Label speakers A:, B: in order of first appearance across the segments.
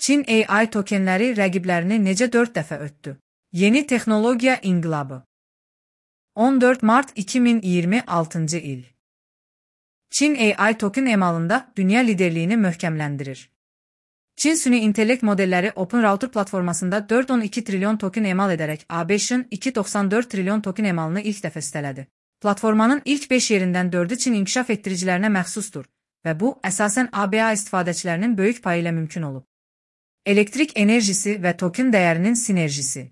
A: Çin AI tokenləri rəqiblərini necə 4 dəfə ötdü? Yeni texnologiya inqilabı. 14 mart 2026 il. Çin AI token emalında dünya liderliyini möhkəmləndirir. Çin süni intellekt modelləri OpenRouter platformasında 4.12 trilyon token emal edərək ABŞ-ın 2.94 trilyon token emalını ilk dəfə üstələdi. Platformanın ilk 5 yerindən 4-ü Çin inkişaf etdiricilərinə məxsusdur və bu, əsasən ABA istifadəçilərinin böyük payı ilə mümkün olub. Elektrik enerjisi və token dəyərinin sinerjisi.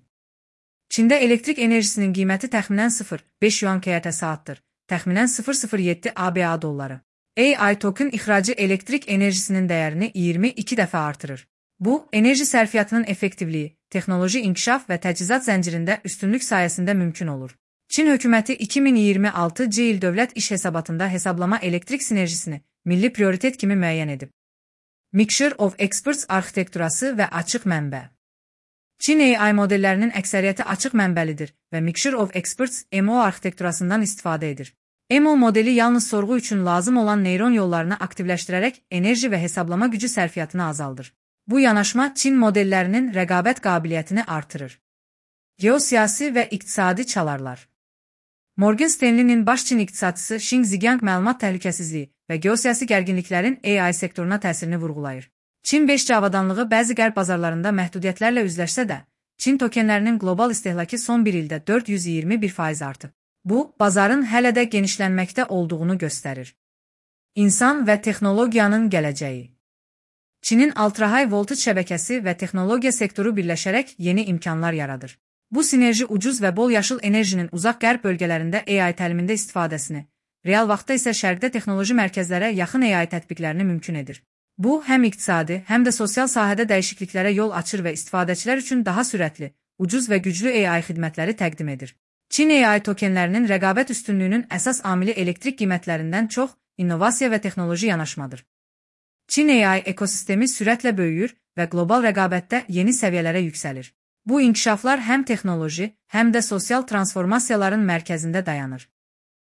A: Çində elektrik enerjisinin qiyməti təxminən 0,5 yuan kWh saatdır, təxminən 0,07 ABA dolları. AI token ixracı elektrik enerjisinin dəyərini 22 dəfə artırır. Bu, enerji sərfiyyatının effektivliyi, texnoloji inkişaf və təchizat zəncirində üstünlük sayəsində mümkün olur. Çin hökuməti 2026 il dövlət iş hesabatında hesablama elektrik sinerjisini milli prioritet kimi müəyyən edib. Mixture of Experts arxitekturası və açıq mənbə. Çin AI modellərinin əksəriyyəti açıq mənbəlidir və Mixture of Experts MO arxitekturasından istifadə edir. MO modeli yalnız sorğu üçün lazım olan neyron yollarını aktivləşdirərək enerji və hesablama gücü sərfiyyatını azaldır. Bu yanaşma Çin modellərinin rəqabət qabiliyyətini artırır. Geosiyasi və iqtisadi çalarlar. Morgan Stanley'nin baş Çin iqtisadçısı Xing Zigang məlumat təhlükəsizliyi və geosiyasi gərginliklərin AI sektoruna təsirini vurğulayır. Çin 5G avadanlığı bəzi qərb bazarlarında məhdudiyyətlərlə üzləşsə də, Çin tokenlərinin qlobal istehlakı son bir ildə 421% artıb. Bu, bazarın hələ də genişlənməkdə olduğunu göstərir. İnsan və texnologiyanın gələcəyi. Çinin ultra-high voltage şəbəkəsi və texnologiya sektoru birləşərək yeni imkanlar yaradır. Bu sinerji ucuz və bol yaşıl enerjinin uzaq qərb bölgələrində AI təlimində istifadəsini, real vaxtda isə şərqdə texnoloji mərkəzlərə yaxın AI tətbiqlərini mümkün edir. Bu, həm iqtisadi, həm də sosial sahədə dəyişikliklərə yol açır və istifadəçilər üçün daha sürətli, ucuz və güclü AI xidmətləri təqdim edir. Çin AI tokenlərinin rəqabət üstünlüyünün əsas amili elektrik qiymətlərindən çox innovasiya və texnoloji yanaşmadır. Çin AI ekosistemi sürətlə böyüyür və qlobal rəqabətdə yeni səviyyələrə yüksəlir. Bu inkişaflar həm texnoloji, həm də sosial transformasiyaların mərkəzində dayanır.